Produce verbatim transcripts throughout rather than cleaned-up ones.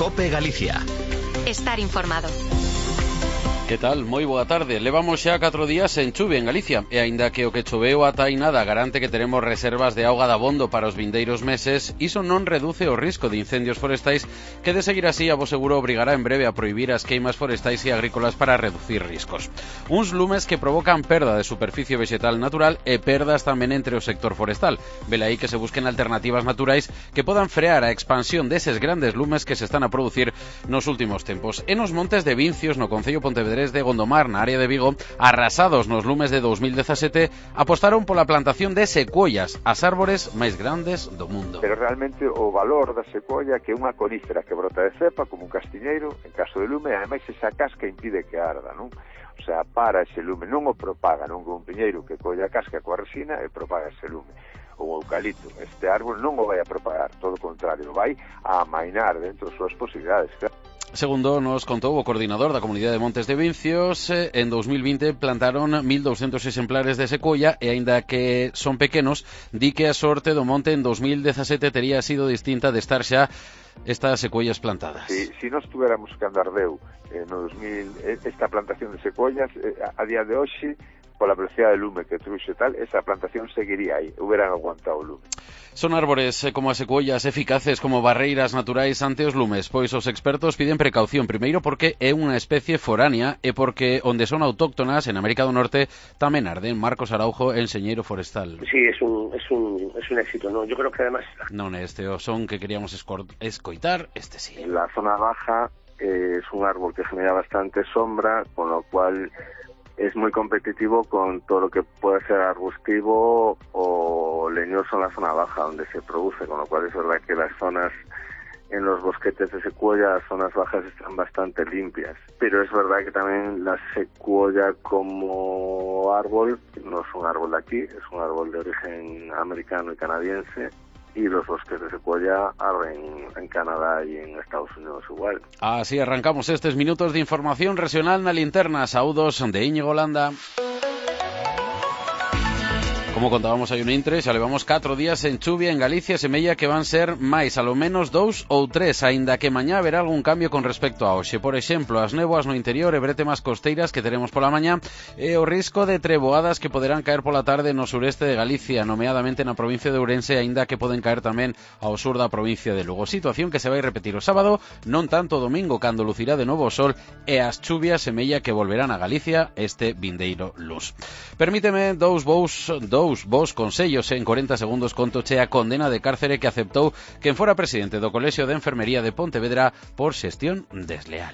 COPE Galicia. Estar informado. Que tal? Moi boa tarde. Levamos xa catro días en chuvia en Galicia e aínda que o que choveu ata aí nada garante que teremos reservas de auga dabondo para os vindeiros meses, iso non reduce o risco de incendios forestais que de seguir así a vos seguro obrigará en breve a prohibir as queimas forestais e agrícolas para reducir riscos. Uns lumes que provocan perda de superficie vegetal natural e perdas tamén entre o sector forestal. Velaí que se busquen alternativas naturais que podan frear a expansión deses grandes lumes que se están a producir nos últimos tempos. E nos montes de Vincios, no concello Pontevedrés de Gondomar, na área de Vigo, arrasados nos lumes de dos mil dezasete, apostaron pola plantación de secuoias, as árbores máis grandes do mundo. Pero realmente o valor da secuoia, que é unha conífera que brota de cepa como un castiñeiro en caso de lume, ademais esa casca impide que arda, non? O sea, para ese lume, non o propaga, non como un piñeiro que colla a casca coa resina e propaga ese lume. O eucalipto, este árbol non o vai a propagar, todo o contrario, vai a amainar dentro das súas posibilidades, claro. Segundo nos contou o coordinador da Comunidade de Montes de Vincios, en dos mil vinte plantaron mil douscentos exemplares de secuoia e aínda que son pequenos, di que a sorte do monte en dos mil dezasete tería sido distinta de estar xa estas secuoias plantadas. Si, si nós tuéramos que andar deu eh, no dos mil, esta plantación de secuoias, eh, a, a día de hoxe, pola velocidade de lume que truxe tal, esa plantación seguiría aí, hubieran aguantado o lume. Son árbores eh, como as secuoias eficaces como barreiras naturais ante os lumes, pois os expertos piden precaución, primeiro porque é unha especie foránea e porque onde son autóctonas, en América do Norte, tamén arden. Marcos Araujo, enxeñeiro forestal. Sí, es un, es un, es un éxito, ¿no? Yo creo que además... Non é este o son que queríamos escoitar, este sí. En la zona baja eh, es un árbol que genera bastante sombra, con lo cual es muy competitivo con todo lo que puede ser arbustivo o leñoso en la zona baja donde se produce, con lo cual es verdad que las zonas en los bosquetes de secuoya, las zonas bajas están bastante limpias, pero es verdad que también la secuoya como árbol no es un árbol de aquí, es un árbol de origen americano y canadiense, y los bosques de secuoya arden en Canadá y en Estados Unidos igual. Así arrancamos estes minutos de información regional na linterna. Saúdos de Íñigo Landa. Como contábamos hai un intre, xa levamos catro días en chuvia en Galicia, semella que van ser máis, a lo menos dous ou tres, aínda que mañá haberá algún cambio con respecto a hoxe. Por exemplo, as néboas no interior e brétemas costeiras que teremos pola mañá e o risco de treboadas que poderán caer pola tarde no sureste de Galicia, nomeadamente na provincia de Ourense, aínda que poden caer tamén ao sur da provincia de Lugo. Situación que se vai repetir o sábado, non tanto o domingo, cando lucirá de novo o sol e as chuvias semella que volverán a Galicia este vindeiro luz. Permíteme dous vous, dous Dous vos consellos en corenta segundos contoche a condena de cárcere que aceptou quen fora presidente do Colexio de Enfermería de Pontevedra por xestión desleal.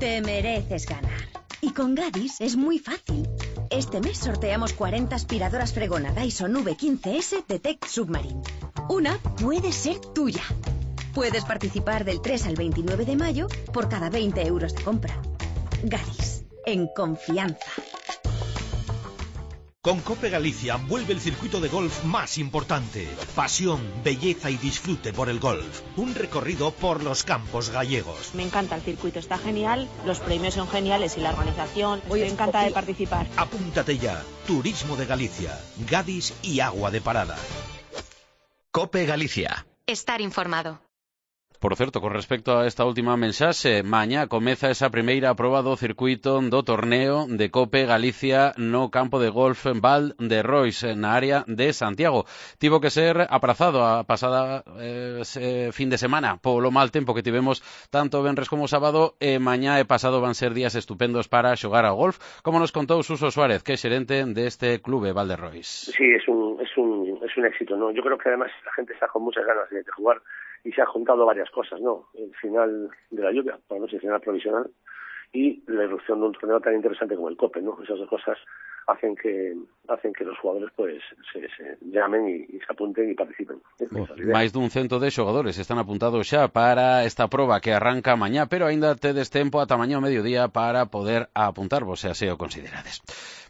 Te mereces ganar. Y con Gadis es muy fácil. Este mes sorteamos cuarenta aspiradoras Fregona Dyson V quince S Detect Submarine. Una puede ser tuya. Puedes participar del tres al veintinueve de mayo por cada veinte euros de compra. Gadis, en confianza. Con COPE Galicia vuelve el circuito de golf más importante. Pasión, belleza y disfrute por el golf. Un recorrido por los campos gallegos. Me encanta el circuito, está genial, los premios son geniales y la organización. Estoy encantada de participar. Apúntate ya. Turismo de Galicia, Gadis y Agua de Parada. COPE Galicia. Estar informado. Por certo, con respecto a esta última mensaxe, mañá comeza esa primeira proba do circuito do torneo de COPE Galicia no campo de golf Val de Rois, na área de Santiago. Tivo que ser aprazado a pasada eh, fin de semana polo mal tempo que tivemos tanto venres como sábado, e mañá e pasado van ser días estupendos para xogar ao golf, como nos contou Suso Suárez, que é xerente deste clube Val de Rois. Sí, es un, es un, es un éxito, ¿no? Yo creo que además la gente está con muchas ganas de, de jugar. Y se han juntado varias cosas, ¿no? El final de la lluvia, por lo menos el final provisional, y la irrupción de un torneo tan interesante como el COPE, ¿no? Esas dos cosas hacen que hacen que los jugadores pues se, se llamen y, y se apunten y participen. Oh, máis dun cento de xogadores están apuntados xa para esta proba que arranca mañá, pero aínda tedes tempo ata mañá ao mediodía para poder apuntarvos, se así o considerades.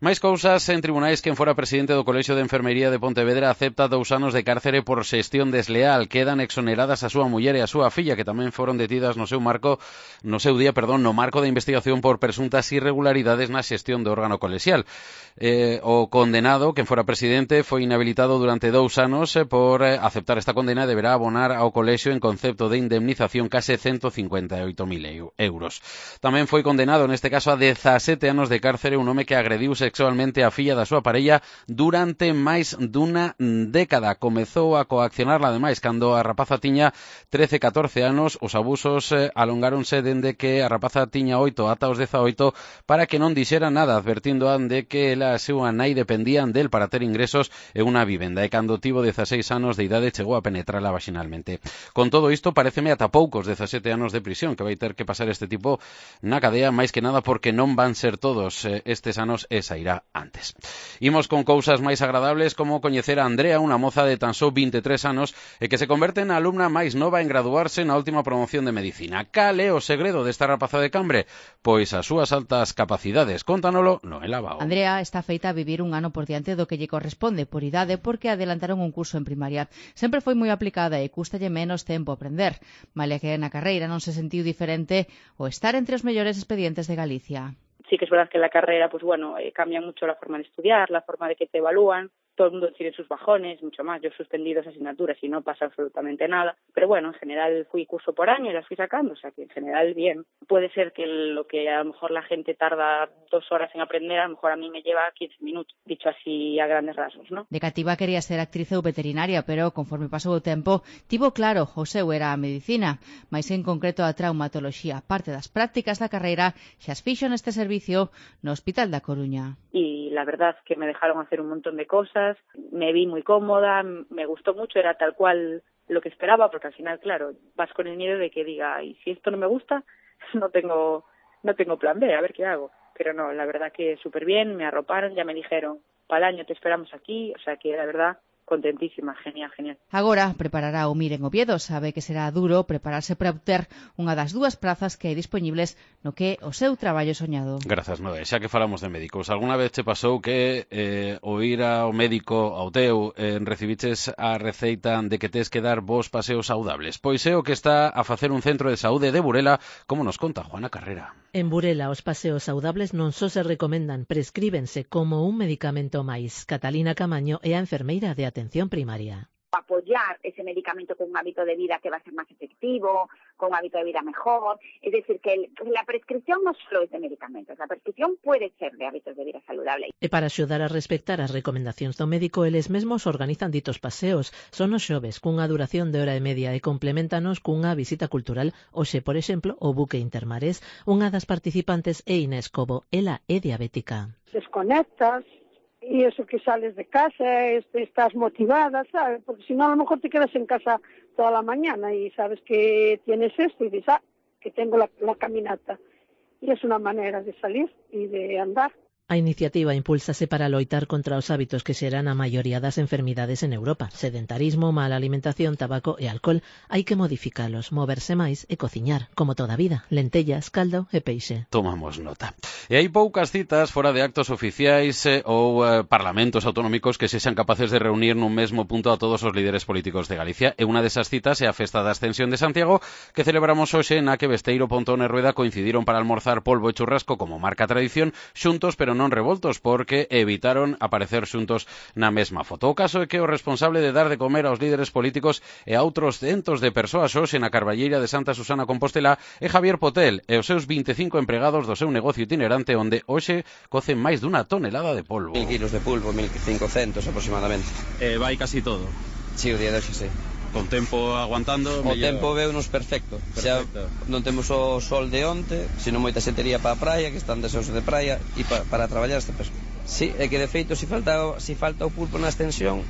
Máis cousas en tribunais. Quen fora presidente do Colexio de Enfermería de Pontevedra acepta dous anos de cárcere por xestión desleal. Quedan exoneradas a súa muller e a súa filla, que tamén foron detidas no seu marco, no seu día, perdón, no marco de investigación por presuntas irregularidades na xestión do órgano colexial. Eh, o condenado, quen fora presidente, foi inhabilitado durante dous anos eh, por eh, aceptar esta condena e deberá abonar ao colexio en concepto de indemnización case ciento cincuenta e oito mil euros. Tamén foi condenado, neste caso, a dezasete anos de cárcere un home que agrediu sexualmente a filla da súa parella durante máis dunha década. Comezou a coaccionarla, ademais, cando a rapaza tiña trece a catorce anos. Os abusos eh, alongáronse dende que a rapaza tiña oito ata os dezaoito para que non dixera nada, advertindo de que ela e a súa nai dependían del para ter ingresos e unha vivenda. E cando tivo dezaseis anos de idade chegou a penetrala vaginalmente. Con todo isto, pareceme ata poucos dezasete anos de prisión que vai ter que pasar este tipo na cadea, máis que nada porque non van ser todos eh, estes anos e sairá antes. Imos con cousas máis agradables, como coñecer a Andrea, unha moza de tan só vinte e tres anos e que se converte na alumna máis nova en graduarse na última promoción de medicina. Cal é o segredo desta rapaza de Cambre? Pois as súas altas capacidades. Contanolo no Elabao. Andrea está feita a vivir un ano por diante do que lle corresponde por idade, porque adelantaron un curso en primaria. Sempre foi moi aplicada e custalle menos tempo aprender. Malia que na carreira non se sentiu diferente o estar entre os mellores expedientes de Galicia. Sí que es verdad que en la carrera, pues bueno, eh, cambia mucho la forma de estudiar, la forma de que te evalúan. Todo el mundo tiene sus bajones, mucho más. Yo he suspendido esas asignaturas y no pasa absolutamente nada. Pero bueno, en general fui curso por año y las fui sacando, o sea que en general bien. Puede ser que lo que a lo mejor la gente tarda dos horas en aprender, a lo mejor a mí me lleva quince minutos, dicho así a grandes rasgos, ¿no? De cativa quería ser actriz ou veterinaria, pero conforme pasou o tempo, tivo claro, o seu era a medicina, máis en concreto a traumatoloxía. Parte das prácticas da carreira xa as fixo neste servicio no Hospital da Coruña. Y la verdad que me dejaron hacer un montón de cosas, me vi muy cómoda, me gustó mucho, era tal cual lo que esperaba, porque al final, claro, vas con el miedo de que diga, y si esto no me gusta, no tengo no tengo plan B, a ver qué hago. Pero no, la verdad que súper bien, me arroparon, ya me dijeron, para el año te esperamos aquí, o sea que la verdad, contentísima, genial, genial. Agora preparará o MIR en Oviedo, sabe que será duro prepararse para obter unha das dúas prazas que hai dispoñibles no que o seu traballo soñado. Grazas, Noé. Xa que falamos de médicos, alguna vez che pasou que eh, o ir ao médico ao teu eh, recibiches a receita de que tes que dar vos paseos saudables? Pois é o que está a facer un centro de saúde de Burela, como nos conta Juana Carrera. En Burela, os paseos saudables non só se recomendan, prescríbense como un medicamento máis. Catalina Camaño é a enfermeira de atención primaria. Apoyar ese medicamento con un hábito de vida que va a ser más efectivo, con un hábito de vida mejor. Es decir, que el, la prescripción no solo es de medicamentos, la prescripción puede ser de hábitos de vida saludable. E para axudar a respectar as recomendacións do médico, eles mesmos organizan ditos paseos. Son os xoves, cunha duración de hora e media, e compleméntanos cunha visita cultural. Hoxe, por exemplo, o buque Intermares. Unha das participantes é Inés Cobo, ela é diabética. Desconectas, y eso que sales de casa, estás motivada, ¿sabes? Porque si no, a lo mejor te quedas en casa toda la mañana y sabes que tienes esto y dices, ah, que tengo la, la caminata. Y es una manera de salir y de andar. A iniciativa impúlsase para loitar contra os hábitos que xeran a maioría das enfermidades en Europa. Sedentarismo, mala alimentación, tabaco e alcohol. Hai que modificalos, moverse máis e cociñar, como toda a vida. Lentellas, caldo e peixe. Tomamos nota. E hai poucas citas fora de actos oficiais eh, ou eh, parlamentos autonómicos que sexan capaces de reunir nun mesmo punto a todos os líderes políticos de Galicia. E unha desas citas é a Festa da Ascensión de Santiago, que celebramos hoxe, na que Besteiro, Pontón e Rueda coincidiron para almorzar polvo e churrasco como marca tradición, xuntos pero non revoltos, porque evitaron aparecer xuntos na mesma foto. O caso é que o responsable de dar de comer aos líderes políticos e a outros centos de persoas hoxe na Carballeira de Santa Susana Compostela é Javier Potel e os seus vinte e cinco empregados do seu negocio itinerante, onde hoxe cocen máis dunha tonelada de polvo. Mil kilos de pulpo, mil cincocentos aproximadamente. Eh, vai casi todo. Sí, o día de hoxe, sí. Con tempo aguantando. O tempo veunos perfecto. perfecto. Xa non temos o sol de onte, sino moita xetería para a praia, que están deseosos de praia, e pa, para traballar este peso. Sí, é que de feito, se falta, si falta o pulpo na extensión,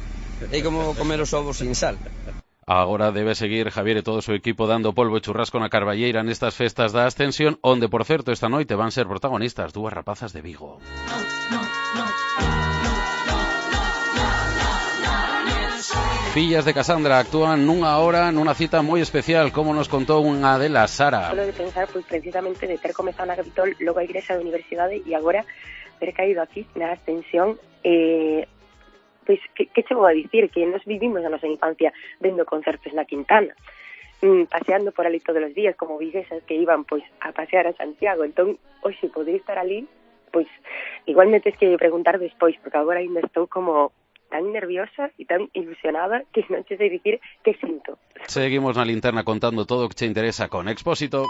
é como comer os ovos sin sal. Agora debe seguir Javier e todo o seu equipo dando polvo e churrasco na Carballeira nestas festas da Ascensión, onde, por certo, esta noite van ser protagonistas dúas rapazas de Vigo. No, no, no. Fillas de Casandra actúan nunha hora nunha cita moi especial, como nos contou unha delas, Sara. Solo de pensar, pois, precisamente de ter comezado na capital, logo a igrexa da universidade e agora ter caído aquí na ascensión, eh, pois, que, que che vou a dicir? Que nos vivimos a nosa infancia vendo concertos na Quintana, mm, paseando por ali todos os días, como viguesas que iban pois a pasear a Santiago. Entón, hoxe podría estar ali, pois, igual me tes que preguntar despois, porque agora ainda estou como tan nerviosa e tan ilusionada que non che sei dicir que sinto. Seguimos na linterna contando todo o que che interesa con Expósito.